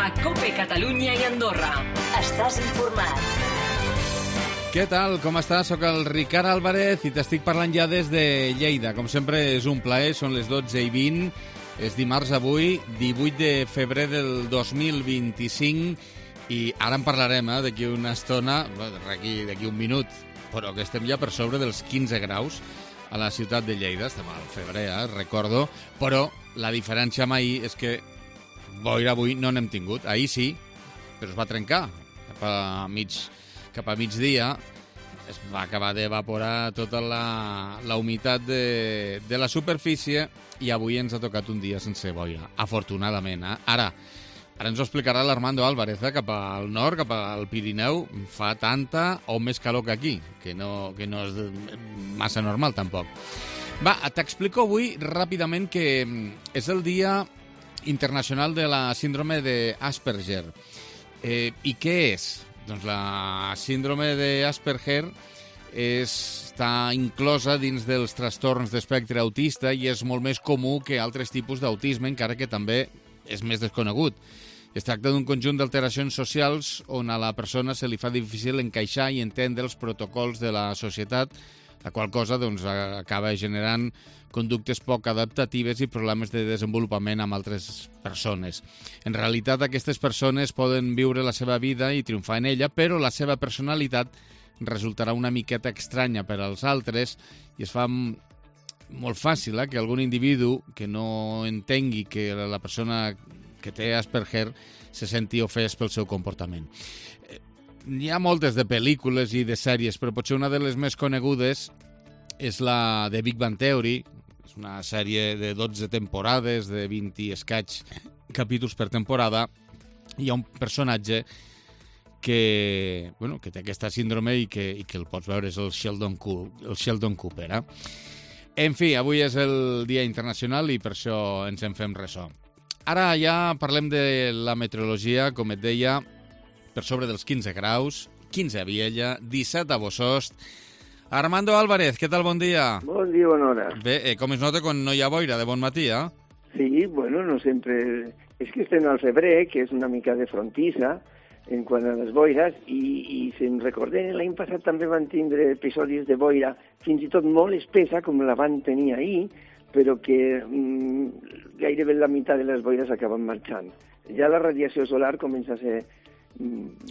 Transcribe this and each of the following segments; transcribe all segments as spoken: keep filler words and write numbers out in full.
a COPE Catalunya i Andorra. Estàs informat. Què tal? Com estàs? Soc el Ricard Álvarez i t'estic parlant ja des de Lleida. Com sempre és un plaer, són les dotze i vint. És dimarts avui, divuit de febrer del dos mil vint-i-cinc, i ara en parlarem, eh, d'aquí una estona, d'aquí d'aquí un minut, però que estem ja per sobre dels quinze graus a la ciutat de Lleida. Estem al febrer, eh, recordo, però la diferència amb ahir és que boira avui no n'hem tingut. Ahir sí, però es va trencar cap a mig, cap a migdia. Es va acabar d'evaporar tota la, la humitat de, de la superfície i avui ens ha tocat un dia sense boira, afortunadament. Eh? Ara, ara ens ho explicarà l'Armando Álvarez, eh? Cap al nord, cap al Pirineu, fa tanta o més calor que aquí, que no, que no és massa normal tampoc. Va, t'explico avui ràpidament que és el dia internacional de la síndrome d'Asperger. Eh, I què és? Doncs la síndrome d'Asperger és, està inclosa dins dels trastorns d'espectre autista i és molt més comú que altres tipus d'autisme, encara que també és més desconegut. Es tracta d'un conjunt d'alteracions socials on a la persona se li fa difícil encaixar i entendre els protocols de la societat, la qual cosa doncs, acaba generant conductes poc adaptatives i problemes de desenvolupament amb altres persones. En realitat, aquestes persones poden viure la seva vida i triomfar en ella, però la seva personalitat resultarà una miqueta estranya per als altres i es fa molt fàcil eh, que algun individu que no entengui que la persona que té Asperger se senti ofès pel seu comportament. Hi ha moltes de pel·lícules i de sèries, però potser una de les més conegudes és la de Big Bang Theory. És una sèrie de dotze temporades, de vint i escaig capítols per temporada. Hi ha un personatge que, bueno, que té aquesta síndrome i que, i que el pots veure, és el Sheldon, el Sheldon Cooper. Eh? En fi, avui és el Dia Internacional i per això ens en fem ressò. Ara ja parlem de la meteorologia, com et deia, per sobre dels quinze graus, quinze a Viella, disset a Bossòst. Armando Álvarez, què tal? Bon dia. Bon dia, bona hora. Bé, eh, com es nota quan no hi ha boira de bon matí, eh? Sí, bueno, no sempre... És que estem al febrer, que és una mica de frontissa en quant a les boires, i, i si em recordem, l'any passat també van tindre episodis de boira fins i tot molt espessa, com la van tenir ahir, però que mm, gairebé la meitat de les boires acaben marxant. Ja la radiació solar comença a ser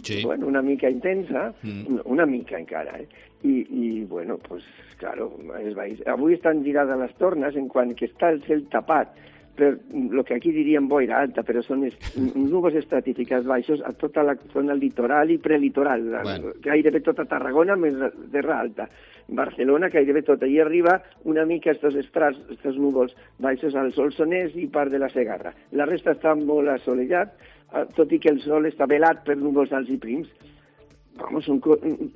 sí. bueno, una mica intensa, mm. una mica encara, eh? I, i bueno, pues, claro, es va... avui estan girades les tornes en quant que està el cel tapat per el que aquí diríem boira alta, però són es, núvols estratificats baixos a tota la zona litoral i prelitoral, bueno. Gairebé tota Tarragona més terra alta. Barcelona, gairebé tota, i arriba una mica estos estrats, estos núvols baixos al Solsonès i part de la Segarra. La resta està molt assolellat, tot i que el sol està velat per núvols alts i prims. Vamos, un,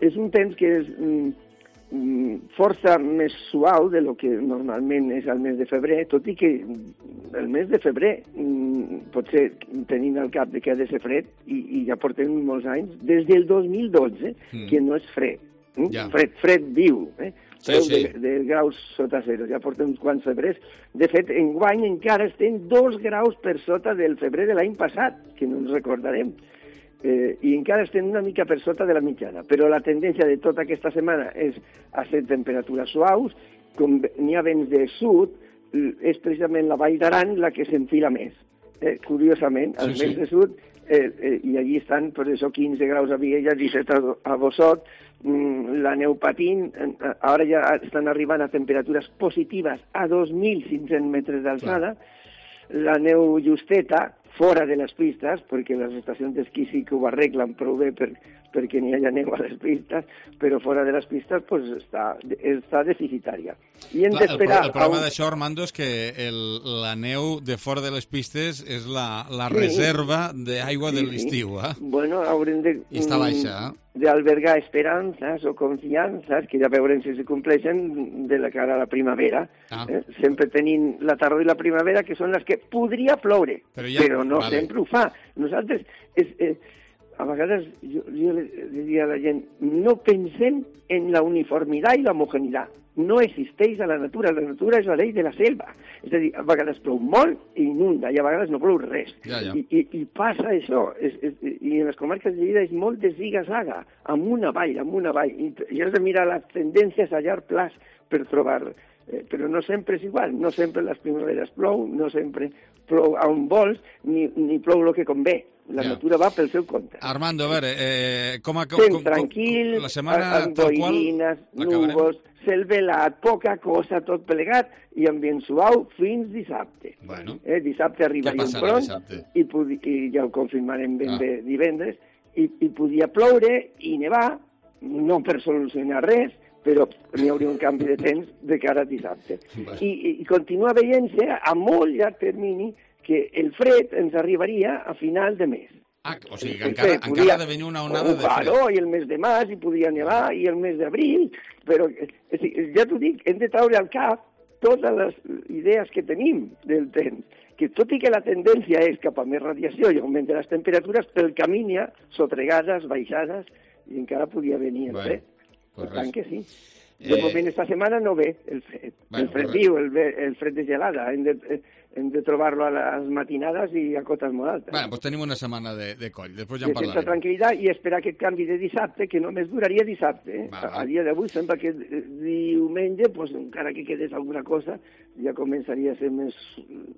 és un temps que és mm, força més suau de lo que normalment és el mes de febrer, tot i que el mes de febrer, mm, potser tenint al cap de que ha de ser fred, i, i ja portem molts anys, des del dos mil dotze, mm. que no és fred. Mm? Ja. Fred, fred viu, eh? Sí, sí. De, de graus sota zero, ja portem uns quants febrers. De fet, enguany encara estem dos graus per sota del febrer de l'any passat, que no ens recordarem. Eh, i encara estem una mica per sota de la mitjana, però la tendència de tota aquesta setmana és a ser temperatures suaus, com n'hi ha vents de sud, és precisament la Vall d'Aran la que s'enfila més. Eh, curiosament, els sí, vents sí. de sud, eh, eh, i allí estan, per això, quinze graus a Viella, disset a, a Bossot, mm, la neu patint, eh, ara ja estan arribant a temperatures positives a dos mil cinc-cents metres d'alçada, la neu justeta, fora de les pistes, perquè les estacions d'esquí sí que ho arreglen prou bé per, perquè n'hi hagi neu a les pistes, però fora de les pistes pues, està, està deficitària. I hem Clar, d'esperar... El, el problema un... d'això, Armando, és que el, la neu de fora de les pistes és la, la sí. reserva d'aigua sí, de l'estiu. Eh? Bueno, haurem de... I està baixa, eh? d'albergar esperances o confiances, que ja veurem si se compleixen de la cara a la primavera. Ah. Eh? Sempre tenint la tardor i la primavera, que són les que podria ploure, però, ja... però no vale. Sempre ho fa. Nosaltres, és, eh, a vegades, jo, jo le diria a la gent, no pensem en la uniformitat i la homogeneïtat. no existeix a la natura. La natura és la llei de la selva. És a dir, a vegades plou molt i inunda, i a vegades no plou res. Ja, ja. I, i, I passa això. És, és, I en les comarques de Lleida és molt de ziga-zaga, amunt avall, amunt avall. I, i has de mirar les tendències a llarg plaç per trobar... Eh, però no sempre és igual. No sempre les primaveres plou, no sempre plou on vols, ni, ni plou el que convé. La ja. natura va pel seu compte. Armando, a veure, eh, com a... Com, Fem com, tranquil, la setmana amb tal qual... boirines, núvols, cel velat, poca cosa, tot plegat, i ambient suau fins dissabte. Bueno. Eh, dissabte arribaria un front, i, podi, i ja ho confirmarem ben ah. bé divendres, i, i podia ploure i nevar, no per solucionar res, però n'hi hauria un canvi de temps de cara a dissabte. Bueno. I, I continua veient-se a molt llarg termini que el fred ens arribaria a final de mes. Ah, o sigui que encara, encara podia, ha de venir una onada oh, de fred. Claro, i el mes de març hi podia nevar, i el mes d'abril, però ja t'ho dic, hem de traure al cap totes les idees que tenim del temps, que tot i que la tendència és cap a més radiació i augment de les temperatures, pel camí n'hi ha sotregades, baixades, i encara podia venir el fred. Per tant que sí. De moment, esta setmana no ve el fred. Bueno, el fred viu, el, el fred de gelada. Hem de, hem de trobar-lo a les matinades i a cotes molt altes. Bueno, doncs tenim una setmana de, de coll. Després ja en parlarem. De certa tranquil·litat i esperar aquest canvi de dissabte, que només duraria dissabte. Eh? Va, va. A dia d'avui sembla que diumenge, pues, encara que quedés alguna cosa, ja començaria a ser més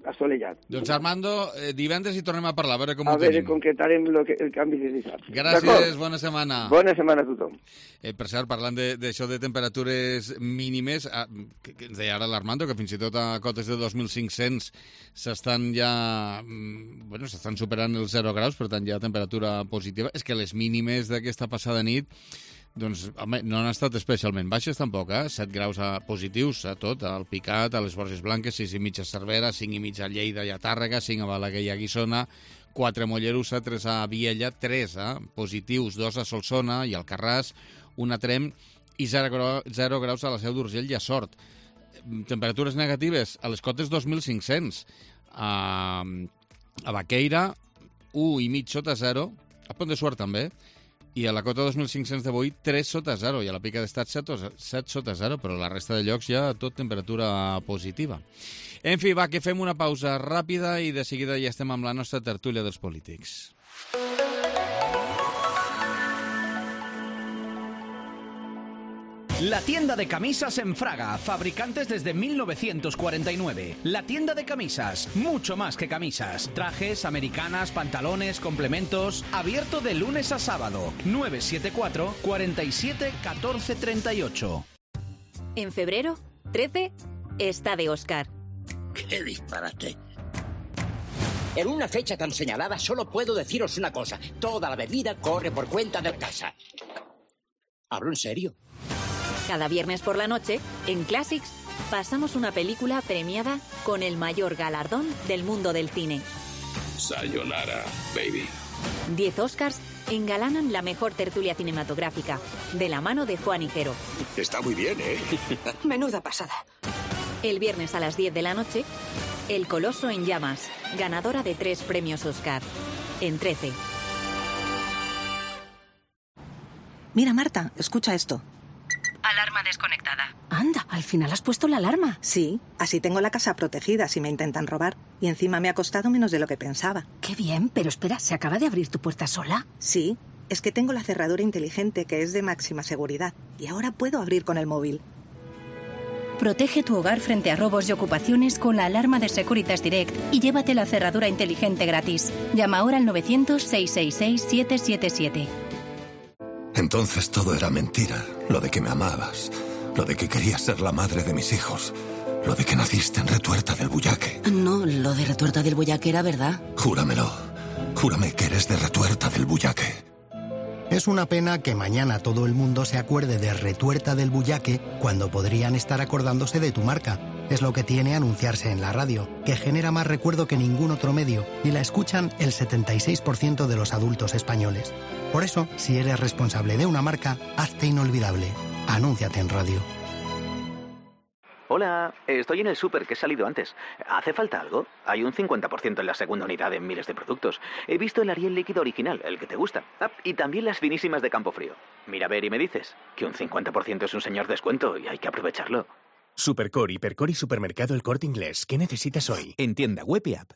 assolellat. Doncs Armando, eh, divendres hi tornem a parlar, a veure com a ho veure, tenim. A veure, concretarem lo que, el canvi de dissabte. Gràcies, bona setmana. Bona setmana a tothom. Eh, per cert, parlant d'això de, de temperatures mínimes, ah, que, que ens deia ara l'Armando, que fins i tot a cotes de dos mil cinc-cents s'estan ja... Bueno, s'estan superant els zero graus, per tant hi ha temperatura positiva. És que les mínimes d'aquesta passada nit doncs, home, no han estat especialment baixes tampoc, eh? set graus a positius a tot, al Picat, a les Borges Blanques, sis i mig a Cervera, cinc i mig a Lleida i a Tàrrega, cinc a Balaguer i a Guissona, quatre a Mollerussa, tres a Viella, tres eh? positius, dos a Solsona i al Carràs, un a Trem i zero graus a la Seu d'Urgell i a Sort. Temperatures negatives a les cotes dos mil cinc-cents, a, a Baqueira, un i mig sota zero, a Pont de Suert també, i a la cota dos mil cinc-cents de Boí, tres sota zero, i a la Pica d'Estat, set sota zero, però la resta de llocs ja tot temperatura positiva. En fi, va, que fem una pausa ràpida i de seguida ja estem amb la nostra tertúlia dels polítics. La tienda de camisas en Fraga, fabricantes desde mil novecientos cuarenta y nueve. La tienda de camisas, mucho más que camisas. Trajes, americanas, pantalones, complementos. Abierto de lunes a sábado. nueve siete cuatro, cuarenta y siete, catorce treinta y ocho. En febrero, trece, está de Oscar. ¡Qué disparate! En una fecha tan señalada solo puedo deciros una cosa. Toda la bebida corre por cuenta del casa. ¿Hablo en serio? Cada viernes por la noche, en Classics, pasamos una película premiada con el mayor galardón del mundo del cine. Sayonara, baby. Diez Oscars engalanan la mejor tertulia cinematográfica, de la mano de Juan Higuero. Está muy bien, ¿eh? Menuda pasada. El viernes a las diez de la noche, El Coloso en Llamas, ganadora de tres premios Oscar, en trece. Mira, Marta, escucha esto. Alarma desconectada. Anda, al final has puesto la alarma. Sí, así tengo la casa protegida si me intentan robar. Y encima me ha costado menos de lo que pensaba. Qué bien, pero espera, ¿se acaba de abrir tu puerta sola? Sí, es que tengo la cerradura inteligente que es de máxima seguridad. Y ahora puedo abrir con el móvil. Protege tu hogar frente a robos y ocupaciones con la alarma de Securitas Direct y llévate la cerradura inteligente gratis. Llama ahora al novecientos, seiscientos sesenta y seis, setecientos setenta y siete. Entonces todo era mentira. Lo de que me amabas, lo de que querías ser la madre de mis hijos, lo de que naciste en Retuerta del Bullaque. No, lo de Retuerta del Bullaque era verdad. Júramelo. Júrame que eres de Retuerta del Bullaque. Es una pena que mañana todo el mundo se acuerde de Retuerta del Bullaque cuando podrían estar acordándose de tu marca. Es lo que tiene anunciarse en la radio, que genera más recuerdo que ningún otro medio y la escuchan el setenta y seis por ciento de los adultos españoles. Por eso, si eres responsable de una marca, hazte inolvidable. Anúnciate en radio. Hola, estoy en el súper que he salido antes. ¿Hace falta algo? Hay un cincuenta por ciento en la segunda unidad en miles de productos. He visto el Ariel líquido original, el que te gusta. Ah, y también las finísimas de Campofrío. Mira a ver y me dices que un cincuenta por ciento es un señor descuento y hay que aprovecharlo. Supercore, Hipercore y Supermercado El Corte Inglés. ¿Qué necesitas hoy? En tienda web y app.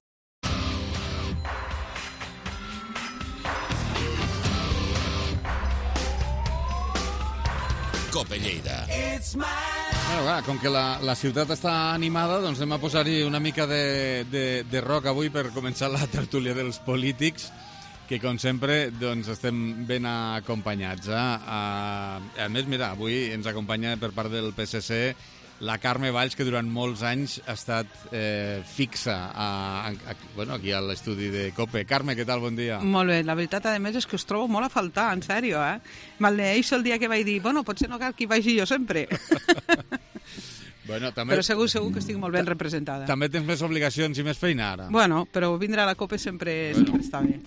Cope Lleida. Bueno, clar, com que la, la ciutat està animada, doncs anem a posar-hi una mica de, de, de rock avui per començar la tertúlia dels polítics, que com sempre doncs estem ben acompanyats. Eh? A, a més, mira, avui ens acompanya per part del P S C la Carme Valls, que durant molts anys ha estat eh, fixa a, a, a, bueno, aquí a l'estudi de COPE. Carme, què tal? Bon dia. Molt bé. La veritat, a més, és que us trobo molt a faltar, en sèrio, eh? Maldeeixo el dia que vaig dir, bueno, potser no cal que hi vagi jo sempre. Bueno, també... Però segur, segur que estic molt ben representada. També tens més obligacions i més feina ara. Bueno, però vindre a la COPE sempre, bueno. sempre està bé.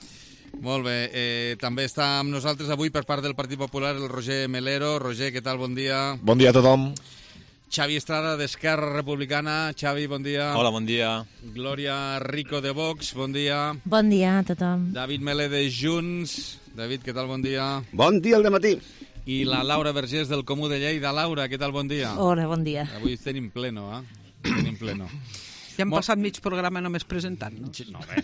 Molt bé. Eh, també està amb nosaltres avui per part del Partit Popular el Roger Melero. Roger, què tal? Bon dia. Bon dia a tothom. Xavi Estrada, d'Esquerra Republicana. Xavi, bon dia. Hola, bon dia. Glòria Rico, de Vox, bon dia. Bon dia a tothom. David Melé, de Junts. David, què tal? Bon dia. Bon dia al dematí. I la Laura Vergés, del Comú de Lleida. Laura, què tal? Bon dia. Hola, bon dia. Avui tenim pleno, eh? Tenim pleno. Ja hem Mo... passat mig programa només presentant, no? No, bé,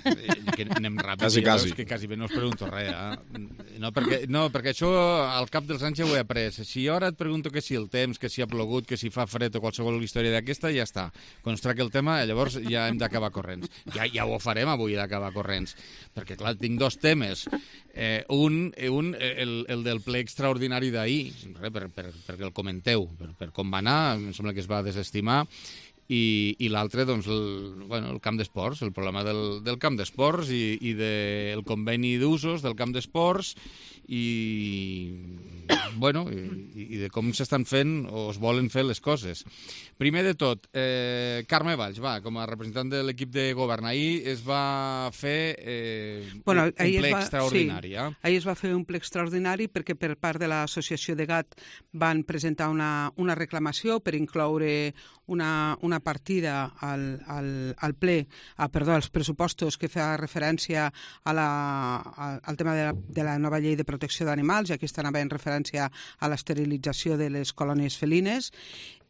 que anem ràpid. Quasi, quasi. Que quasi bé no us pregunto res, eh? No perquè, no, perquè això al cap dels anys ja ho he après. Si jo ara et pregunto que si el temps, que si ha plogut, que si fa fred o qualsevol història d'aquesta, ja està. Quan es tracta el tema, llavors ja hem d'acabar corrents. Ja, ja ho farem avui, d'acabar corrents. Perquè, clar, tinc dos temes. Eh, un, un el, el del ple extraordinari d'ahir, per, per, perquè el comenteu, per, per com va anar, em sembla que es va desestimar, i, i l'altre, doncs, el, bueno, el camp d'esports, el problema del, del camp d'esports i, i del conveni d'usos del camp d'esports i, bueno, i, i de com s'estan fent o es volen fer les coses. Primer de tot, eh, Carme Valls, va, com a representant de l'equip de govern, ahir es va fer eh, bueno, un ple va, extraordinari. Sí, eh? ahir es va fer un ple extraordinari perquè per part de l'associació de G A T van presentar una, una reclamació per incloure una, una partida al, al, al ple, ah, perdó, als pressupostos que fa referència a la, a, al tema de la, de la nova llei de protecció d'animals, i aquesta anava en referència a l'esterilització de les colònies felines.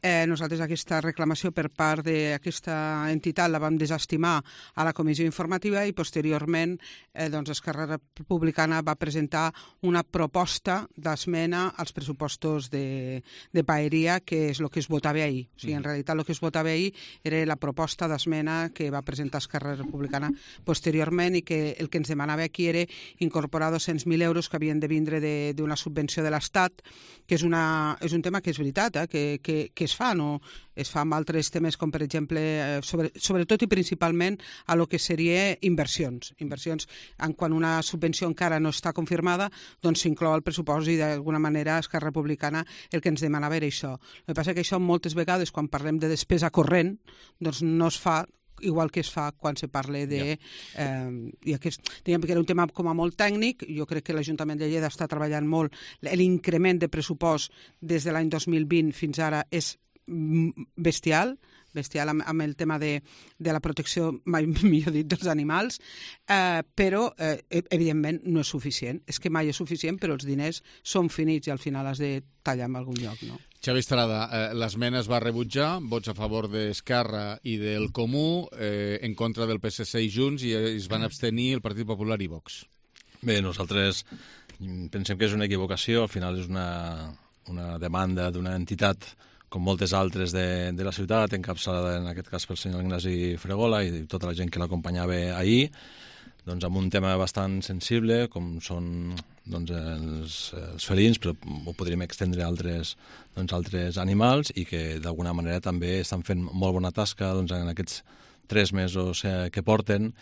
Eh, nosaltres aquesta reclamació per part d'aquesta entitat la vam desestimar a la comissió informativa i posteriorment eh, doncs Esquerra Republicana va presentar una proposta d'esmena als pressupostos de, de paeria, que és el que es votava ahir. O sigui, en realitat el que es votava ahir era la proposta d'esmena que va presentar Esquerra Republicana posteriorment i que el que ens demanava aquí era incorporar dos-cents mil euros que havien de vindre d'una subvenció de l'Estat, que és, una, és un tema que és veritat, eh, que, que, que es fa, no? Es fa amb altres temes com, per exemple, eh, sobre, sobretot i principalment a lo que seria inversions. Inversions, en quan una subvenció encara no està confirmada, doncs s'inclou al pressupost i d'alguna manera Esquerra Republicana el que ens demanava era això. El que passa que això moltes vegades, quan parlem de despesa corrent, doncs no es fa igual que es fa quan se parla de... Yeah. Eh, i aquest, diguem que era un tema com a molt tècnic. Jo crec que l'Ajuntament de Lleida està treballant molt. L'increment de pressupost des de l'any dos mil vint fins ara és bestial, bestial amb, amb el tema de, de la protecció, mai millor dit, dels animals, eh, però, eh, evidentment, no és suficient. És que mai és suficient, però els diners són finits i al final has de tallar en algun lloc, no? Xavi Estrada, eh, l'esmena es va rebutjar, vots a favor d'Esquerra i del Comú, eh, en contra del P S C i Junts, i es van abstenir el Partit Popular i Vox. Bé, nosaltres pensem que és una equivocació, al final és una, una demanda d'una entitat com moltes altres de, de la ciutat, encapçalada en aquest cas pel senyor Ignasi Fregola i tota la gent que l'acompanyava ahir, doncs amb un tema bastant sensible, com són doncs, els, els felins, però ho podríem extendre a altres, doncs, altres animals i que d'alguna manera també estan fent molt bona tasca doncs, en aquests tres mesos eh, que porten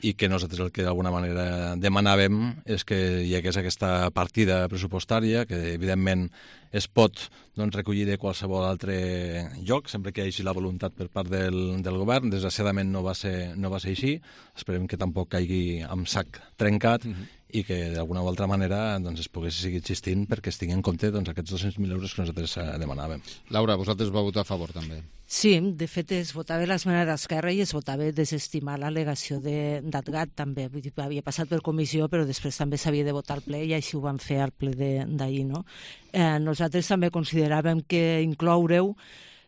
i que nosaltres el que d'alguna manera demanàvem és que hi hagués aquesta partida pressupostària, que evidentment es pot doncs, recollir de qualsevol altre lloc, sempre que hi hagi la voluntat per part del, del govern. Desgraciadament no va ser, no va ser així, esperem que tampoc caigui amb sac trencat, mm-hmm. i que d'alguna o altra manera doncs, es pogués seguir existint perquè es tinguin en compte doncs, aquests dos-cents mil euros que nosaltres demanàvem. Laura, vosaltres vau votar a favor també. Sí, de fet es votava l'esmena d'Esquerra i es votava desestimar l'al·legació d'Atgat també. Vull dir, havia passat per comissió però després també s'havia de votar al ple i així ho van fer al ple d'ahir. No? Eh, nosaltres també consideràvem que incloure-ho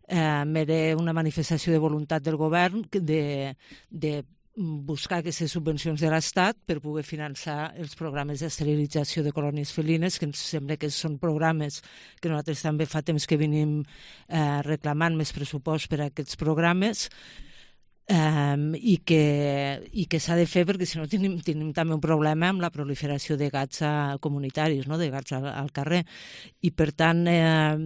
eh, era una manifestació de voluntat del govern de, de buscar aquestes subvencions de l'Estat per poder finançar els programes d'esterilització de colònies felines, que ens sembla que són programes que nosaltres també fa temps que venim eh, reclamant més pressupost per a aquests programes, Um, i que, i que s'ha de fer perquè si no tenim, tenim també un problema amb la proliferació de gats a, comunitaris, no? De gats al, al carrer, i per tant eh,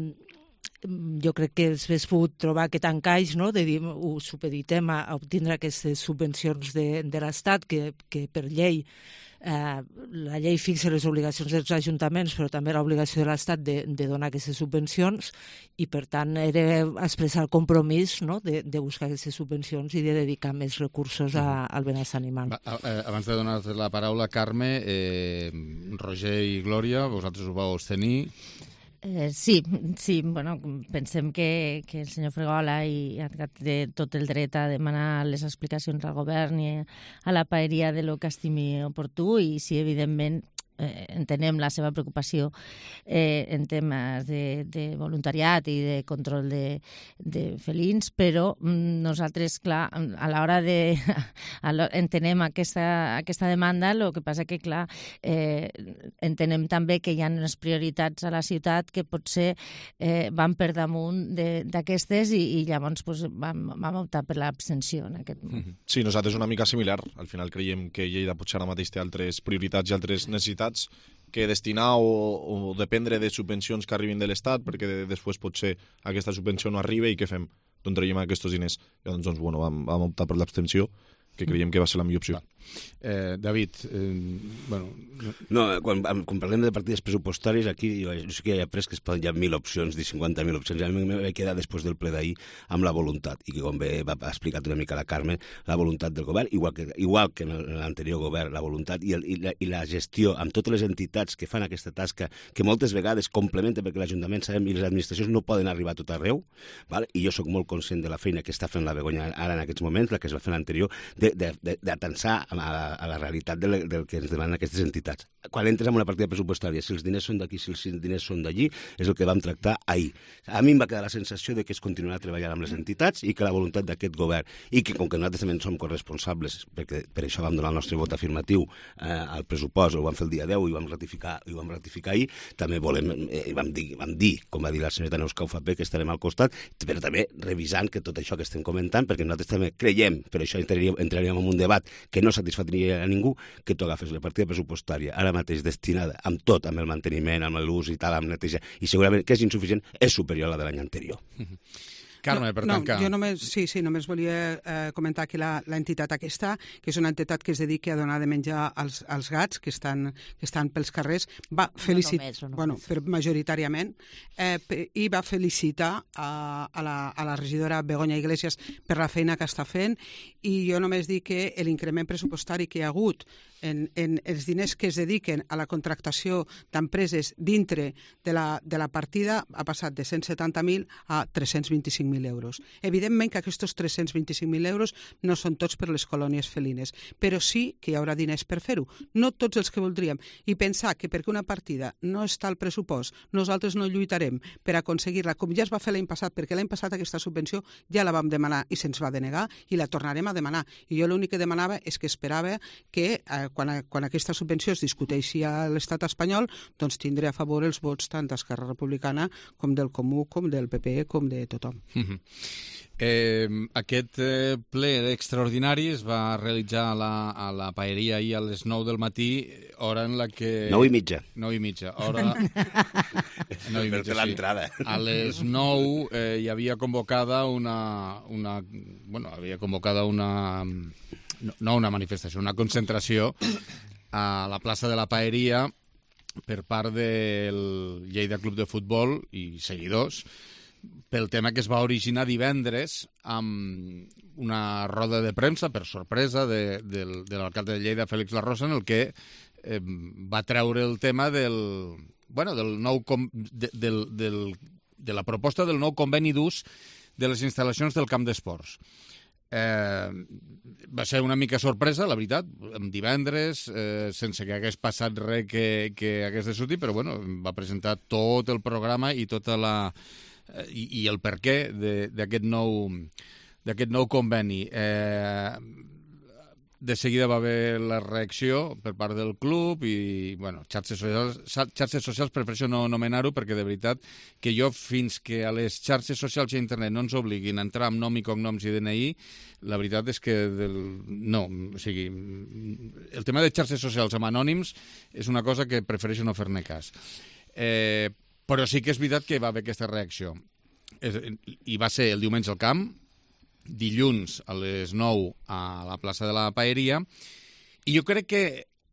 jo crec que s'hagués pogut trobar aquest encaix, no? De dir, ho supeditem a, a obtindre aquestes subvencions de, de l'Estat que, que per llei Eh, la llei fixa les obligacions dels ajuntaments, però també l'obligació de l'Estat de, de donar aquestes subvencions, i per tant era expressar el compromís, no? de, de buscar aquestes subvencions i de dedicar més recursos a, al benestar animal. Va, eh, abans de donar la paraula, Carme, eh, Roger i Glòria, vosaltres ho vau tenir. Eh, sí, sí, bueno, pensem que, que el senyor Fregola i Atgat té tot el dret a demanar les explicacions al govern i a la paeria de lo que estimi oportú, i sí, evidentment, eh, entenem la seva preocupació eh, en temes de, de voluntariat i de control de, de felins, però mm, nosaltres, clar, a l'hora de... A entenem aquesta, aquesta demanda, el que passa que, clar, eh, entenem també que hi ha unes prioritats a la ciutat que potser eh, van per damunt d'aquestes, i, i llavors pues, vam, vam optar per l'abstenció en aquest moment. Sí, nosaltres una mica similar. Al final creiem que Lleida potser ara mateix té altres prioritats i altres necessitats que destinar o, o dependre de subvencions que arribin de l'Estat, perquè després potser aquesta subvenció no arriba i què fem? D'on traiem aquests diners? Llavors, doncs, bueno, vam, vam optar per l'abstenció, que creiem que va ser la millor opció. Eh, David, eh, bueno... No, quan, quan parlem de partides pressupostàries, aquí jo sé que hi ha pres que es poden, hi ha mil opcions, dir cinquanta mil opcions. A mi m'he quedat després del ple d'ahir amb la voluntat, i que com bé va explicat una mica la Carme, la voluntat del govern, igual que, igual que en l'anterior govern, la voluntat i, el, i, la, i la gestió amb totes les entitats que fan aquesta tasca, que moltes vegades complementa, perquè l'Ajuntament sabem i les administracions no poden arribar a tot arreu, val? I jo sóc molt conscient de la feina que està fent la Begoña ara en aquests moments, la que es va fer l'anterior, d'atensar a la, a la realitat del, del que ens demanen aquestes entitats. Quan entres en una partida pressupostària, si els diners són d'aquí, si els diners són d'allí, és el que vam tractar ahir. A mi em va quedar la sensació de que es continuarà treballant amb les entitats i que la voluntat d'aquest govern, i que com que nosaltres també som corresponsables, perquè per això vam donar el nostre vot afirmatiu eh, al pressupost, ho vam fer el dia deu i ho vam ratificar, i ho vam ratificar ahir, també volem, eh, vam, dir, vam dir, com va dir la senyora Neus Caufapé, que estarem al costat, però també revisant que tot això que estem comentant, perquè nosaltres també creiem, per això entraríem, entraríem en un debat que no satisfatria a ningú, que tu agafes la partida pressupostària ara mateix destinada amb tot, amb el manteniment, amb l'ús i tal, amb neteja, i segurament que és insuficient, és superior a la de l'any anterior. Carme, per no, tancar. No, jo només, sí, sí, només volia eh, comentar que l'entitat aquesta, que és una entitat que es dedica a donar de menjar als, als gats que estan, que estan pels carrers, va felicitar, no no bueno, per, majoritàriament, eh, i va felicitar a, a, la, a la regidora Begoña Iglesias per la feina que està fent, i jo només dic que l'increment pressupostari que hi ha hagut en, en els diners que es dediquen a la contractació d'empreses dintre de la, de la partida ha passat de cent setanta mil a tres-cents vint-i-cinc mil euros. Evidentment que aquests tres-cents vint-i-cinc mil euros no són tots per les colònies felines, però sí que hi haurà diners per fer-ho. No tots els que voldríem. I pensar que perquè una partida no està al pressupost, nosaltres no lluitarem per aconseguir-la, com ja es va fer l'any passat, perquè l'any passat aquesta subvenció ja la vam demanar i se'ns va denegar i la tornarem a demanar. I jo l'únic que demanava és que esperava que eh, quan, quan aquesta subvenció es discuteixi a l'estat espanyol, doncs tindré a favor els vots tant d'Esquerra Republicana com del Comú, com del P P, com de tothom. Mm-hmm. Eh, aquest eh, ple extraordinari es va realitzar a la, a la paeria ahir a les nou del matí, hora en la que... Nou i mitja. Nou i mitja, hora... nou i mitja, l'entrada. Sí. A les nou eh, hi havia convocada una... una bueno, havia convocada una... no, no una manifestació, una concentració a la plaça de la Paeria per part del Lleida Club de Futbol i seguidors pel tema que es va originar divendres amb una roda de premsa, per sorpresa, de, de, de l'alcalde de Lleida, Félix Larrosa, en el que eh, va treure el tema del, bueno, del nou com, de, del, del, de la proposta del nou conveni d'ús de les instal·lacions del camp d'esports. Eh, va ser una mica sorpresa, la veritat, en divendres, eh, sense que hagués passat res que, que hagués de sortir, però bueno, va presentar tot el programa i tota la... I, i el per què d'aquest nou, d'aquest nou conveni. Eh, de seguida va haver la reacció per part del club i, bueno, xarxes socials, xarxes socials prefereixo no anomenar-ho perquè de veritat que jo fins que a les xarxes socials i a internet no ens obliguin a entrar amb nom i cognoms i D N I, la veritat és que del... no, o sigui, el tema de xarxes socials amb anònims és una cosa que prefereixo no fer-ne cas. Eh, Però sí que és veritat que va haver aquesta reacció. I va ser el diumenge al camp, dilluns a les nou a la plaça de la Paeria, i jo crec que,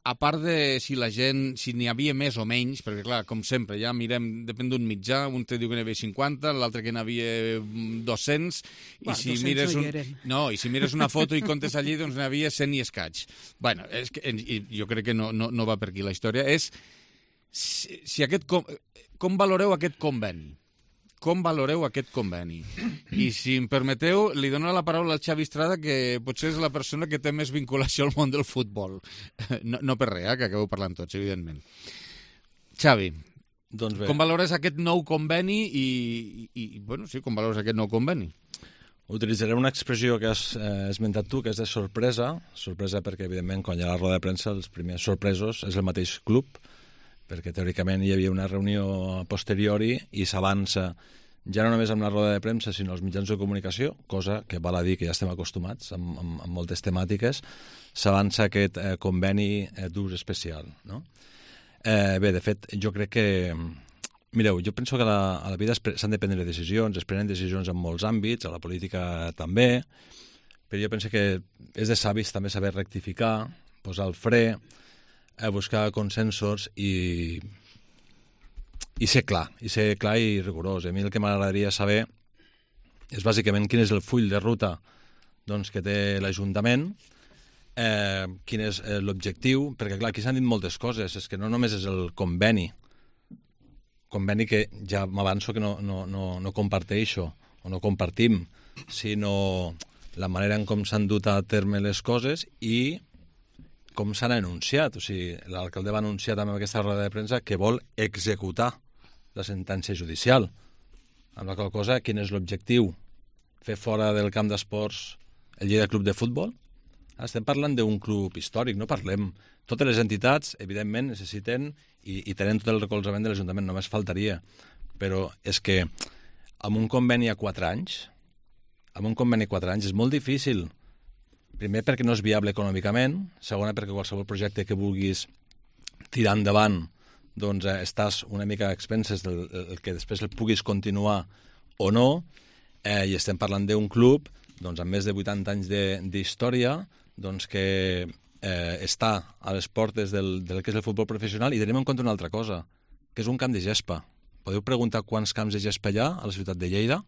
a part de si la gent, si n'hi havia més o menys, perquè clar, com sempre, ja mirem, depèn d'un mitjà, un te diu que n'hi havia cinquanta, l'altre que n'hi havia dos-cents, i si mires un... no, i si mires una foto i comptes allí, doncs n'hi havia cent i escaig. Bueno, és que, jo crec que no, no, no va per aquí la història. És si, si aquest... Com, com valoreu aquest conveni? Com valoreu aquest conveni? I si em permeteu, li dono la paraula al Xavi Estrada, que potser és la persona que té més vinculació al món del futbol. No, no per res, eh, que acabeu parlant tots, evidentment. Xavi, doncs bé, com valores aquest nou conveni i, i, i bueno, sí, com valores aquest nou conveni? Utilitzaré una expressió que has eh, esmentat tu, que és de sorpresa. Sorpresa perquè, evidentment, quan hi ha la roda de premsa, els primers sorpresos és el mateix club, perquè teòricament hi havia una reunió a posteriori i s'avança ja no només amb la roda de premsa, sinó els mitjans de comunicació, cosa que val a dir que ja estem acostumats amb, amb, amb moltes temàtiques, s'avança aquest eh, conveni eh, d'ús especial. No? Eh, bé, de fet, jo crec que... Mireu, jo penso que a la, a la vida s'han de prendre decisions, es prenen decisions en molts àmbits, a la política també, però jo penso que és de savis també saber rectificar, posar el fre, a buscar consensos i, i ser clar, i ser clar i rigorós. A mi el que m'agradaria saber és bàsicament quin és el full de ruta doncs, que té l'Ajuntament, eh, quin és eh, l'objectiu, perquè clar, aquí s'han dit moltes coses, és que no només és el conveni, conveni que ja m'avanço que no, no, no, no comparteixo o no compartim, sinó la manera en com s'han dut a terme les coses i com s'han anunciat. O sigui, l'alcalde va anunciar també en aquesta roda de premsa que vol executar la sentència judicial. Amb la qual cosa, quin és l'objectiu? Fer fora del camp d'esports el Lleida Club de Futbol? Estem parlant d'un club històric, no parlem. Totes les entitats, evidentment, necessiten i, i tenen tot el recolzament de l'Ajuntament, només faltaria. Però és que amb un conveni a quatre anys, amb un conveni a quatre anys és molt difícil. Primer, perquè no és viable econòmicament. Segona, perquè qualsevol projecte que vulguis tirar endavant doncs eh, estàs una mica a expenses del el que després el puguis continuar o no. Eh, I estem parlant d'un club doncs, amb més de vuitanta anys d'història doncs, que eh, està a les portes del, del que és el futbol professional, i tenim en compte una altra cosa, que és un camp de gespa. Podeu preguntar quants camps de gespa hi ha a la ciutat de Lleida?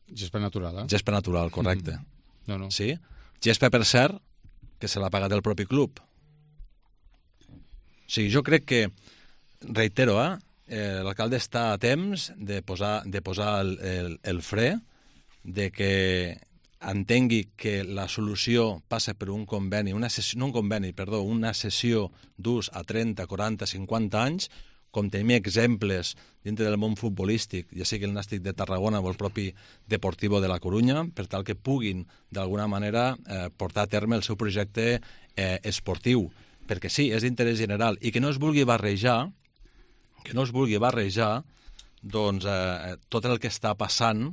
Gespa natural, eh? Gespa natural, correcte. Mm. No, no. Sí? Gespa, per cert, que se l'ha pagat el propi club. O sigui, jo crec que, reitero, eh, eh, l'alcalde està a temps de posar, de posar el, el, el fre, de que entengui que la solució passa per un conveni, una sessió, no un conveni, perdó, una sessió d'ús a trenta, quaranta, cinquanta anys, com tenim exemples dintre del món futbolístic, ja sigui el Nàstic de Tarragona o el propi Deportivo de la Corunya, per tal que puguin, d'alguna manera, eh, portar a terme el seu projecte eh, esportiu. Perquè sí, és d'interès general, i que no es vulgui barrejar, que no es vulgui barrejar, doncs, eh, tot el que està passant,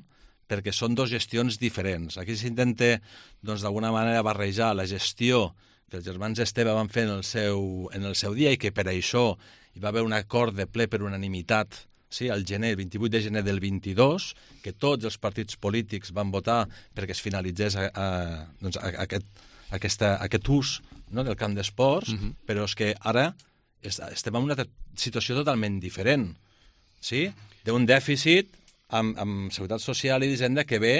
perquè són dues gestions diferents. Aquí s'intenta, doncs, d'alguna manera, barrejar la gestió que els germans Esteve van fer en el seu, en el seu dia i que per això hi va haver un acord de ple per unanimitat, sí, al gener, el vint-i-vuit de gener del vint-i-dos, que tots els partits polítics van votar perquè es finalitzés a, a, doncs, a, a aquest, aquesta, aquest ús, no?, del camp d'esports, uh-huh. però és que ara estem en una situació totalment diferent, sí? D'un dèficit amb, amb seguretat social i d'hisenda que ve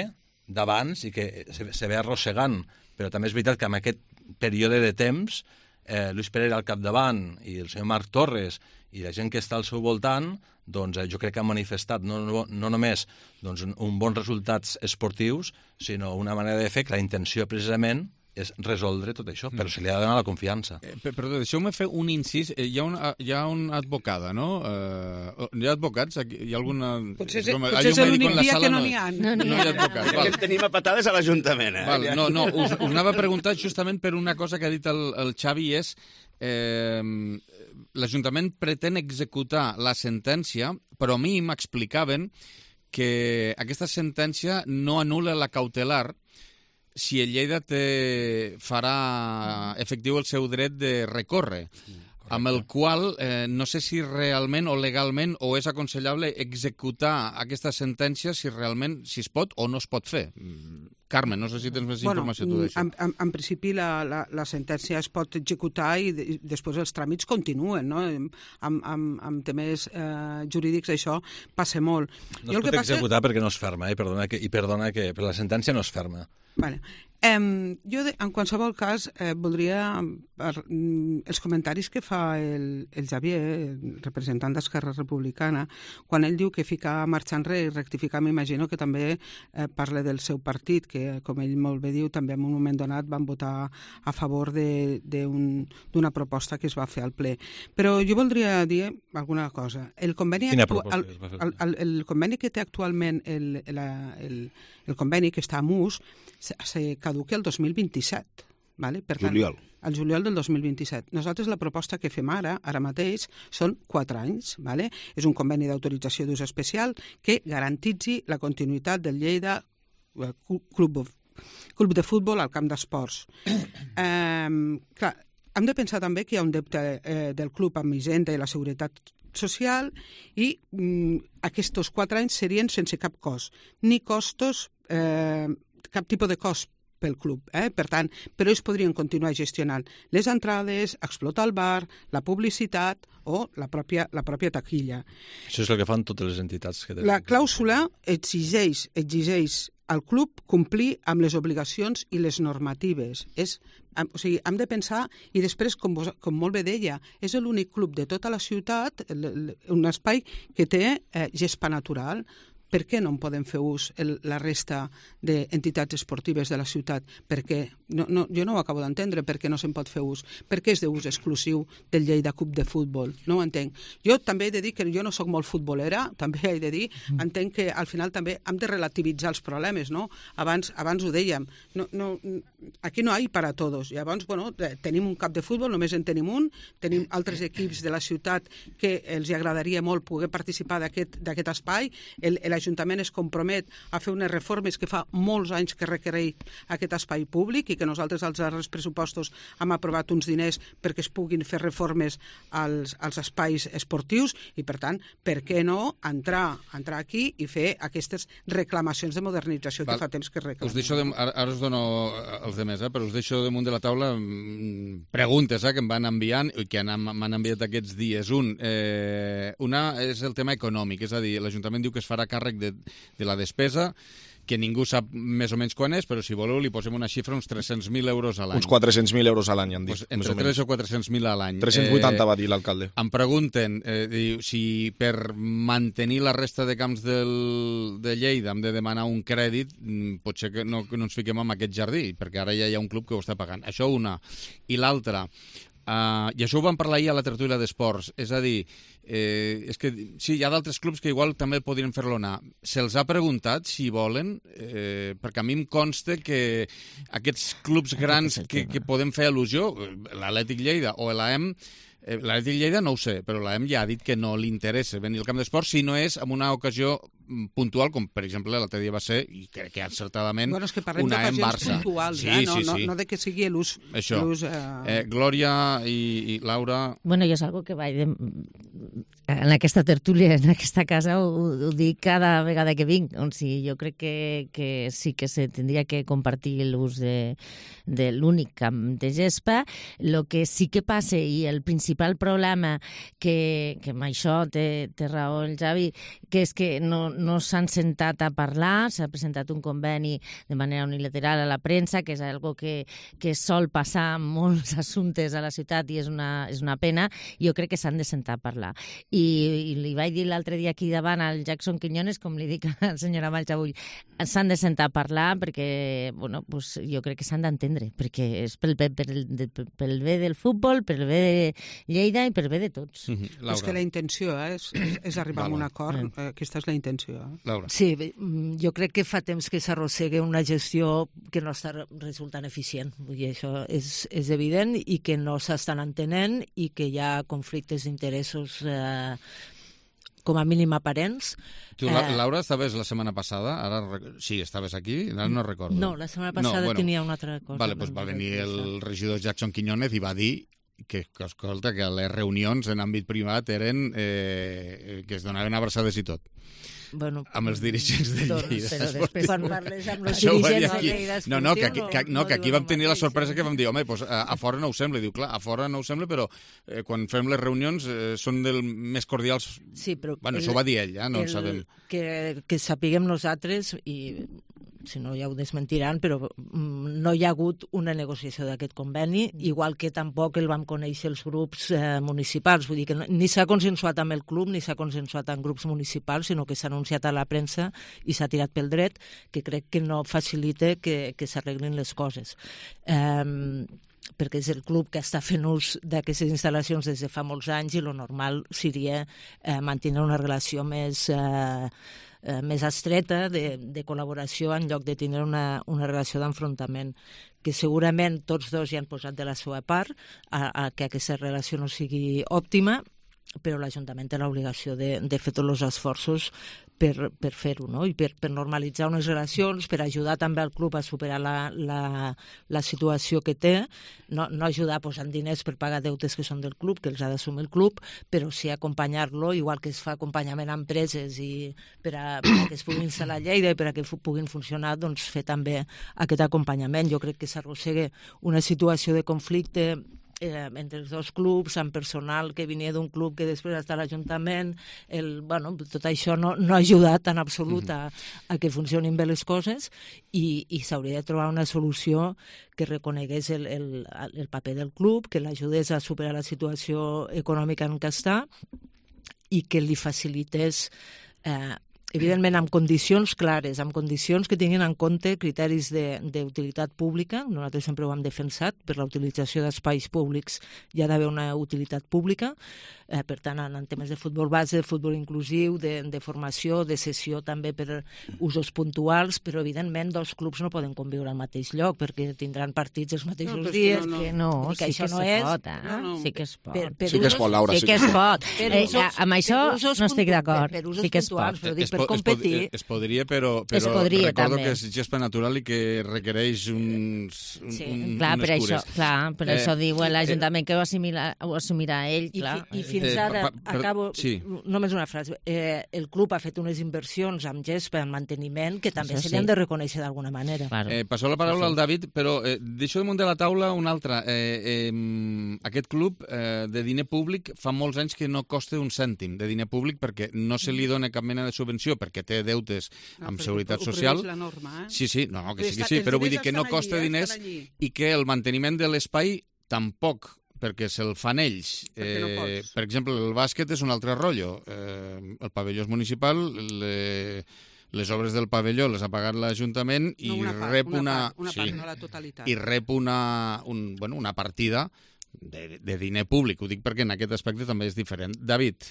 d'abans i que se, se ve arrossegant, però també és veritat que en aquest període de temps eh, Luis Pereira al capdavant i el senyor Marc Torres i la gent que està al seu voltant, doncs eh, jo crec que han manifestat no, no, no només doncs, un, un bons resultats esportius, sinó una manera de fer que la intenció precisament és resoldre tot això, però se li ha de donar la confiança. Eh, perdó, deixeu-me fer un incís. Eh, hi ha una, hi ha una advocada, no? Eh, hi ha advocats? Aquí, hi ha alguna... Potser, com, potser és l'únic dia que no n'hi ha. No, no, no hi ha advocats. Val. Tenim a patades a l'Ajuntament. Eh? Val, no, no, us, us anava a preguntar justament per una cosa que ha dit el, el Xavi, és eh, l'Ajuntament pretén executar la sentència, però a mi m'explicaven que aquesta sentència no anul·la la cautelar si el Lleida té, farà efectiu el seu dret de recórrer, correcte, amb el qual eh, no sé si realment o legalment o és aconsellable executar aquesta sentència si realment si es pot o no es pot fer. Carmen, no sé si tens més bueno, informació tu d'això. En, en, en principi la, la, la sentència es pot executar i, de, i després els tràmits continuen, no? Amb, amb, amb temes eh, jurídics això passa molt. No jo es pot passa... executar perquè no es ferma, eh? perdona que, i perdona que per la sentència no es ferma. Vale. Um, jo, de, en qualsevol cas, eh, voldria, per, mm, els comentaris que fa el, el Xavier, el representant d'Esquerra Republicana, quan ell diu que ficar marxa enrere i rectificar, m'imagino que també eh, parla del seu partit, que, com ell molt bé diu, també en un moment donat van votar a favor d'una proposta que es va fer al ple. Però jo voldria dir alguna cosa. El conveni, actu el, el, el, el conveni que té actualment el, el, el, el conveni que està a M U S se, se caduca el dos mil vint-i-set. Vale? Per tant, juliol. El juliol del dos mil vint-i-set. Nosaltres la proposta que fem ara, ara mateix, són quatre anys. Vale? És un conveni d'autorització d'ús especial que garantitzi la continuïtat del Lleida Club, Club de Futbol al camp d'esports. eh, clar, hem de pensar també que hi ha un deute eh, del club amb Hisenda i la Seguretat Social i mm, aquests quatre anys serien sense cap cost, ni costos, eh, cap tipus de cost pel club. Eh? Per tant, però ells podrien continuar gestionant les entrades, explotar el bar, la publicitat o la pròpia, la pròpia taquilla. Això és el que fan totes les entitats que tenen. La clàusula exigeix, exigeix al club complir amb les obligacions i les normatives. És, o sigui, hem de pensar, i després, com, vos, com molt bé deia, és l'únic club de tota la ciutat, un espai que té eh, gespa natural. Per què no en podem fer ús el, la resta d'entitats esportives de la ciutat? Perquè no, no, jo no ho acabo d'entendre, per què no se'n pot fer ús? Per què és d'ús exclusiu del Lleida Club de Futbol? No ho entenc. Jo també he de dir que jo no sóc molt futbolera, també he de dir, entenc que al final també hem de relativitzar els problemes, no? Abans, abans ho dèiem, no, no, aquí no hi ha per a tots. Llavors, bueno, tenim un camp de futbol, només en tenim un, tenim altres equips de la ciutat que els agradaria molt poder participar d'aquest espai, el, el l'Ajuntament es compromet a fer unes reformes que fa molts anys que requereix aquest espai públic i que nosaltres als darrers pressupostos hem aprovat uns diners perquè es puguin fer reformes als, als espais esportius i, per tant, per què no entrar, entrar aquí i fer aquestes reclamacions de modernització Val. que fa temps que reclamem. Us deixo de, ara, ara us dono els demés, eh, però us deixo damunt de la taula preguntes eh, que em van enviant i que m'han enviat aquests dies. Un, eh, una és el tema econòmic, és a dir, l'Ajuntament diu que es farà càrrec De, de la despesa, que ningú sap més o menys quan és, però si voleu li posem una xifra, uns tres-cents mil euros a l'any. Uns quatre-cents mil euros a l'any, han dit. Pues entre tres o quatre-cents mil a l'any. tres-cents vuitanta eh, va dir l'alcalde. Em pregunten eh, diu, si per mantenir la resta de camps del, de Lleida hem de demanar un crèdit, potser que no, que no ens fiquem en aquest jardí, perquè ara ja hi ha un club que ho està pagant. Això una. I l'altra, Uh, i això ho vam parlar ahir a la tertúlia d'esports, és a dir, eh, és que sí, hi ha d'altres clubs que igual també podrien fer-lo anar. Se'ls ha preguntat si volen, eh, perquè a mi em consta que aquests clubs grans que, que podem fer al·lusió, l'Atlètic Lleida o l'A E M, eh, l'Atlètic Lleida no ho sé, però l'A E M ja ha dit que no li interessa venir al camp d'esports si no és en una ocasió puntual, com per exemple l'altre dia va ser, i crec que encertadament, bueno, és que parlem una A E M Barça. Puntuals, sí, eh? no, sí, sí. No, no de que sigui l'ús... Això. Eh... Eh, Glòria i, i Laura... Bueno, jo és algo que vaig de, en aquesta tertúlia, en aquesta casa, ho, ho dic cada vegada que vinc. O sigui, jo crec que, que sí que se tindria que compartir l'ús de, de l'únic camp de gespa. El que sí que passa, i el principal problema, que, que amb això té, té raó el Javi, que és que no, no s'han sentat a parlar, s'ha presentat un conveni de manera unilateral a la premsa, que és algo que, que sol passar en molts assumptes a la ciutat i és una, és una pena. Jo crec que s'han de sentar a parlar. I, i li vaig dir l'altre dia aquí davant al Jackson Quiñones, com li dic al senyor Amalls avui, s'han de sentar a parlar perquè, bueno, pues, jo crec que s'han d'entendre, perquè és pel, pel, pel, pel bé del futbol, pel bé de Lleida i pel bé de tots. Mm-hmm. És que la intenció eh, és, és arribar a un acord, eh, aquesta és la intenció. Eh? Laura. Sí, jo crec que fa temps que s'arrossega una gestió que no està resultant eficient, vull dir, això és, és evident, i que no s'estan entenent i que hi ha conflictes d'interessos eh, com a mínim aparents. Tu, eh... Laura, estaves la setmana passada? Ara, sí, estaves aquí? Ara no recordo. No, la setmana passada no, bueno, tenia una altra cosa. Vale, doncs va venir el regidor Jackson Quiñones i va dir que, que, escolta, que les reunions en àmbit privat eren eh, que es donaven abraçades i tot. Bueno, amb els dirigents de doncs, Lleida. Però després quan parles amb els dirigents de Lleida no, no, que, que, que, no, que aquí vam tenir la sorpresa que vam dir, home, pues, a, a fora no ho sembla. I diu, clar, a fora no ho sembla, però eh, quan fem les reunions eh, són del més cordials. Sí, però... Bueno, el, això ho va dir ell, ja, no el, ho sabem. Que, que sapiguem nosaltres, i si no ja ho desmentiran, però no hi ha hagut una negociació d'aquest conveni, igual que tampoc el vam conèixer els grups eh, municipals. Vull dir que ni s'ha consensuat amb el club, ni s'ha consensuat amb grups municipals, sinó que s'ha anunciat a la premsa i s'ha tirat pel dret, que crec que no facilita que, que s'arreglin les coses. Eh, perquè és el club que està fent ús d'aquestes instal·lacions des de fa molts anys i el normal seria eh, mantenir una relació més... Eh, Eh, més estreta de, de col·laboració en lloc de tenir una, una relació d'enfrontament, que segurament tots dos hi han posat de la seva part a, a que aquesta relació no sigui òptima, però l'Ajuntament té l'obligació de, de fer tots els esforços per, per fer-ho, no? I per, per normalitzar unes relacions, per ajudar també al club a superar la, la, la situació que té, no, no ajudar posant diners per pagar deutes que són del club, que els ha d'assumir el club, però sí acompanyar-lo, igual que es fa acompanyament a empreses i per a, per a que es puguin instal·lar a Lleida i per a que puguin funcionar, doncs fer també aquest acompanyament. Jo crec que s'arrossega una situació de conflicte Eh, entre els dos clubs, amb personal que venia d'un club que després està a l'Ajuntament, el, bueno, tot això no, no ha ajudat en absolut a, a que funcionin bé les coses i, i s'hauria de trobar una solució que reconegués el, el, el paper del club, que l'ajudés a superar la situació econòmica en què està i que li facilités eh, evidentment amb condicions clares, amb condicions que tinguin en compte criteris d'utilitat pública. Nosaltres sempre ho hem defensat, per la utilització d'espais públics hi ha d'haver una utilitat pública, eh, per tant en, en temes de futbol base, de futbol inclusiu, de, de formació, de sessió també per usos puntuals, però evidentment dos clubs no poden conviure al mateix lloc perquè tindran partits els mateixos no, dies. No, no. Que no, que sí això que no es és. pot, eh? No, no. Sí que es pot. Per, per sí que es pot, Laura. Sí que es pot. Eh, amb això no estic d'acord. Sí que es pot. Però dic, per competir... Es, es podria, però, però es podria, recordo també. que és gespa natural i que requereix uns, un, sí, un, clar, unes per cures. Això, clar, per eh, això diu l'Ajuntament eh, que ho assumirà, ho assumirà ell, clar. I, i fins ara, eh, per, per, acabo, sí. només una frase, eh, el club ha fet unes inversions amb gespa, en manteniment, que també això se li han sí. de reconèixer d'alguna manera. Claro. Eh, passo la paraula al David, però eh, deixo damunt de la taula una altra. Eh, eh, aquest club eh, de diner públic fa molts anys que no costa un cèntim de diner públic perquè no se li dona cap mena de subvenció, perquè té deutes amb no, seguretat social. La norma, eh? Sí, sí, no, que sí que sí, però vull dir que no costa allí, diners eh, i que el manteniment de l'espai tampoc, perquè se'l fan ells. Eh, no per exemple, el bàsquet és un altre rotllo. Eh, el pavelló és municipal, le, les obres del pavelló les ha pagat l'Ajuntament i no, una part, rep una... una, part, una sí, part, no la totalitat. I rep una, un, bueno, una partida de, de diner públic. Ho dic perquè en aquest aspecte també és diferent. David...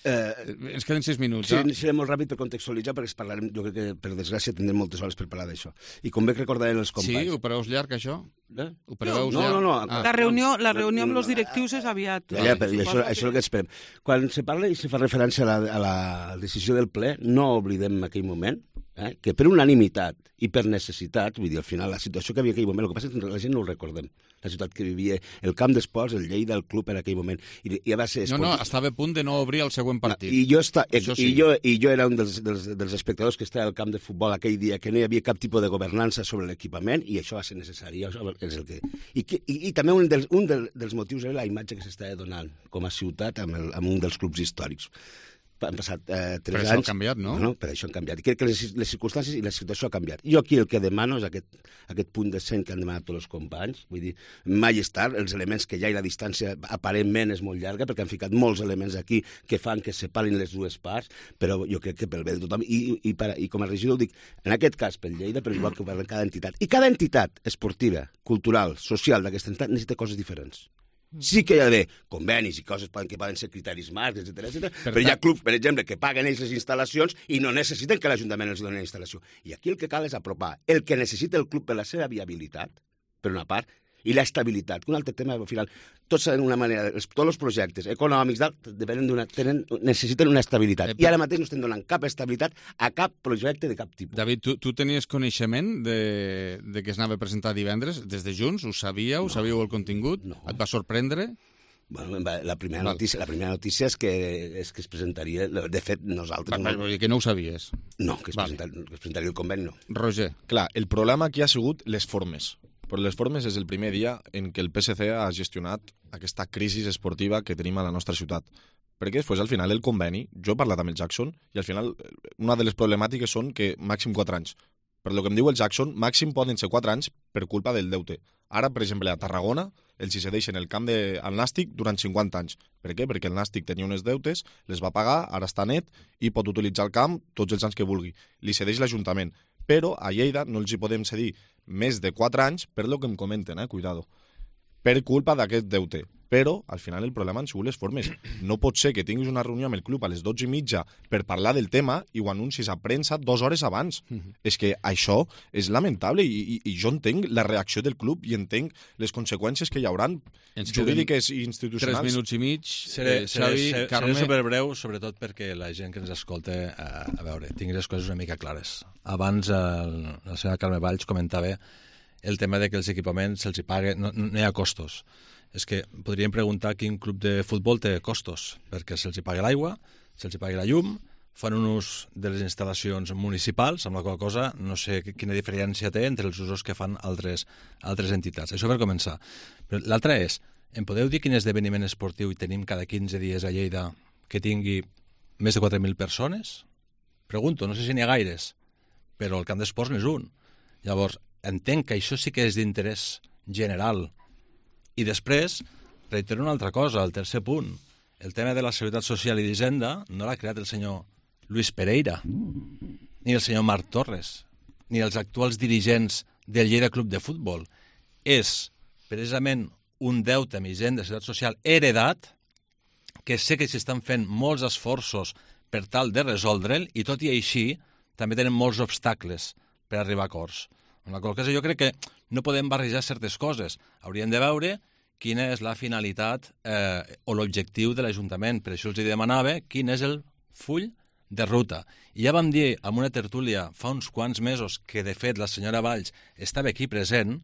Eh, ens queden sis minuts. Sí, eh? seré molt ràpid per contextualitzar, perquè parlarem, jo crec que, per desgràcia, tindrem moltes hores per parlar d'això. I com bé que recordarem els companys... Sí, ho preveus llarg, això? Eh? Ho preveus no, llarg? no, no. Ah. La reunió, la reunió amb els directius és aviat. Ja, ja, però això, això és el que esperem. Quan se parla i se fa referència a la, a la decisió del ple, no oblidem en aquell moment eh? que per unanimitat i per necessitat, vull dir, al final la situació que havia en aquell moment, el que passa és que la gent no ho recordem, la ciutat que vivia, el camp d'esports, el Lleida, el club en aquell moment, i, i va ser... No, no, estava a punt de no obrir el següent partit. I jo, està, i, sí. i jo, i jo era un dels, dels, dels espectadors que estava al camp de futbol aquell dia, que no hi havia cap tipus de governança sobre l'equipament, i això va ser necessari. Això és el que... I, que, i, i també un, dels, un dels motius era la imatge que s'estava donant com a ciutat amb, el, amb un dels clubs històrics. Han passat eh, tres per anys... Per això ha canviat, no? no? Per això han canviat. I crec que les, les circumstàncies i la situació ha canviat. Jo aquí el que demano és aquest, aquest punt de cent que han demanat tots els companys. Vull dir, mai és tard, els elements que hi ha i la distància aparentment és molt llarga, perquè han ficat molts elements aquí que fan que separin les dues parts, però jo crec que pel bé de tothom. I, i, per, i com a regidor dic, en aquest cas pel Lleida, però igual que per cada entitat. I cada entitat esportiva, cultural, social d'aquesta entitat necessita coses diferents. Sí que hi ha d'haver convenis i coses que poden ser criteris marcs, etcètera, etcètera, però hi ha clubs, per exemple, que paguen ells les instal·lacions i no necessiten que l'Ajuntament els doni la instal·lació. I aquí el que cal és apropar el que necessita el club per la seva viabilitat, per una part, i l'estabilitat, que un altre tema, al final, tots en una manera, tots els projectes econòmics depenen d'una, tenen, necessiten una estabilitat. I ara mateix no estem donant cap estabilitat a cap projecte de cap tipus. David, tu, tu tenies coneixement de, de que es anava a presentar divendres? Des de Junts? Ho sabíeu? No. Sabíeu el contingut? No. Et va sorprendre? Bueno, la primera notícia, la primera notícia és que, és que es presentaria... De fet, nosaltres... Va, no... Que no ho sabies? No, que es, vale. presentaria, que es presentaria el conveni, no. Roger. Clar, el problema aquí ha sigut les formes. Però les formes és el primer dia en què el P S C ha gestionat aquesta crisi esportiva que tenim a la nostra ciutat. Perquè després, al final, el conveni, jo he parlat amb el Jackson, i al final, una de les problemàtiques són que màxim quatre anys. Per el que em diu el Jackson, màxim poden ser quatre anys per culpa del deute. Ara, per exemple, a Tarragona, els hi cedeixen el camp de, al Nàstic durant cinquanta anys. Per què? Perquè el Nàstic tenia unes deutes, les va pagar, ara està net, i pot utilitzar el camp tots els anys que vulgui. Li cedeix l'Ajuntament. Però a Lleida no els hi podem cedir més de quatre anys, per lo que em comenten, eh, cuidado, per culpa d'aquest deute. Però, al final, el problema han sigut les formes. No pot ser que tinguis una reunió amb el club a les dotze i mitja per parlar del tema i ho anuncis a premsa dues hores abans. Mm-hmm. És que això és lamentable i, i, i jo entenc la reacció del club i entenc les conseqüències que hi hauran jurídiques i institucionals. Tres minuts i mig. Seré, eh, Xavi, seré, seré, Carme... seré superbreu, sobretot perquè la gent que ens escolta, a, a veure, tingui les coses una mica clares. Abans el, la senyora Carme Valls comentava el tema de que els equipaments se'ls hi paga, no, no hi ha costos. És que podríem preguntar quin club de futbol té costos, perquè se'ls hi paga l'aigua, se'ls hi paga la llum, fan un ús de les instal·lacions municipals, amb la qual cosa no sé quina diferència té entre els usos que fan altres, altres entitats. Això per començar. Però l'altre és, em podeu dir quin esdeveniment esportiu hi tenim cada quinze dies a Lleida que tingui més de quatre mil persones? Pregunto, no sé si n'hi ha gaires, però el camp d'esports n'és un. Llavors, entenc que això sí que és d'interès general. I després, reitero una altra cosa, el tercer punt. El tema de la Seguretat Social i d'Hisenda no l'ha creat el senyor Luis Pereira, ni el senyor Marc Torres, ni els actuals dirigents del Lleida Club de Futbol. És precisament un deute amb Hisenda de Seguretat Social heredat, que sé que s'estan fent molts esforços per tal de resoldre'l, i tot i així també tenen molts obstacles per arribar a acords. En la qual cosa jo crec que no podem barrejar certes coses. Hauríem de veure quina és la finalitat eh, o l'objectiu de l'Ajuntament. Per això els demanava quin és el full de ruta. I ja vam dir en una tertúlia fa uns quants mesos que, de fet, la senyora Valls estava aquí present,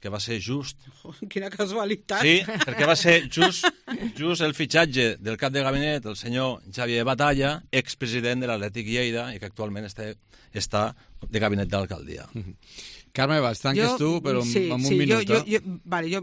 que va ser just... Oh, quina casualitat! Sí, perquè va ser just, just el fitxatge del cap de gabinet, el senyor Xavier Batalla, expresident de l'Atlètic Lleida, i que actualment està, està de gabinet d'alcaldia. Mm-hmm. Carme, Valls, tanques jo, tu, però sí, en un sí, minut. Jo, jo, jo, vale, jo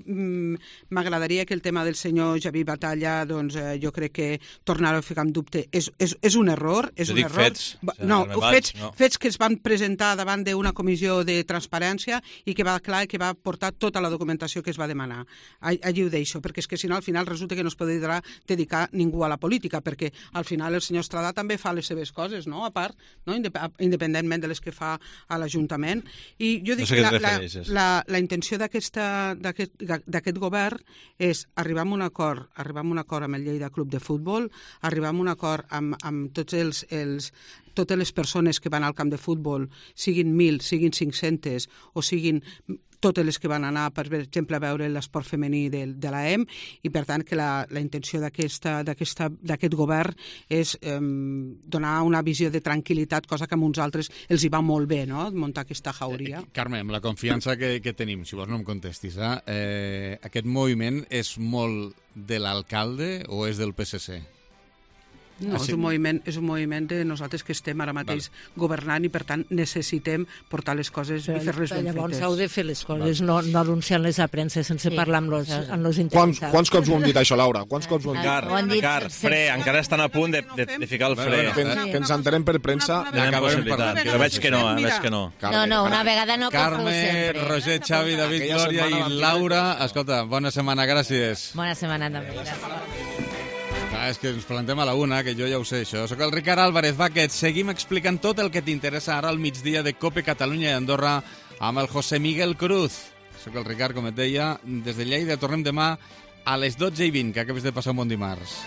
m'agradaria que el tema del senyor Xavier Batalla, doncs eh, jo crec que tornar a ficar en dubte és, és, és un error. És jo un dic error. fets. No, Valls, fets, no. fets que es van presentar davant d'una comissió de transparència i que va clar que va portar tota la documentació que es va demanar. Allí ho deixo, perquè és que si no al final resulta que no es podrà dedicar ningú a la política, perquè al final el senyor Estradà també fa les seves coses, no? A part, no? Independentment de les que fa a l'Ajuntament. I jo dic no sé la, la, la, la intenció d'aquest govern és arribar a un acord, arribar a un acord amb el Lleida Club de Futbol, arribar a un acord amb, amb tots els, els totes les persones que van al camp de futbol, siguin mil, siguin cinc-centes o siguin totes les que van anar, per exemple, a veure l'esport femení de, de l'A E M, i per tant que la, la intenció d'aquest govern és eh, donar una visió de tranquil·litat, cosa que a uns altres els hi va molt bé, no?, muntar aquesta jauria. Eh, Carme, amb la confiança que, que tenim, si vols no em contestis, eh? Eh, aquest moviment és molt de l'alcalde o és del P S C? No, ah, sí. és, un moviment, és un moviment de nosaltres que estem ara mateix vale. governant i, per tant, necessitem portar les coses però, i fer-les ben fetes. Llavors heu de fer les coses, vale. no, no anunciar-les a premsa sense sí. parlar amb els, amb els interessats. Quants, quants cops ho hem dit, això, Laura? Quants cops ho hem dit? Car, dit, Car, fre, encara estan a punt de, de, de ficar el fre. Bueno, que, sí. que ens entenem per premsa. Tenim possibilitat, però veig que no, eh, veig que no. No, no, una vegada no Carme, Roger, Xavi, David, Glòria i Laura. Escolta, bona setmana, gràcies. Bona setmana també, gràcies. Ah, és que ens plantem a la una, que jo ja ho sé, això. Soc el Ricard Álvarez Baquet. Seguim explicant tot el que t'interessa ara al migdia de COPE Catalunya i Andorra amb el José Miguel Cruz. Soc el Ricard, com et deia, des de Lleida. Tornem demà a les dotze i vint, que acabes de passar un bon dimarts.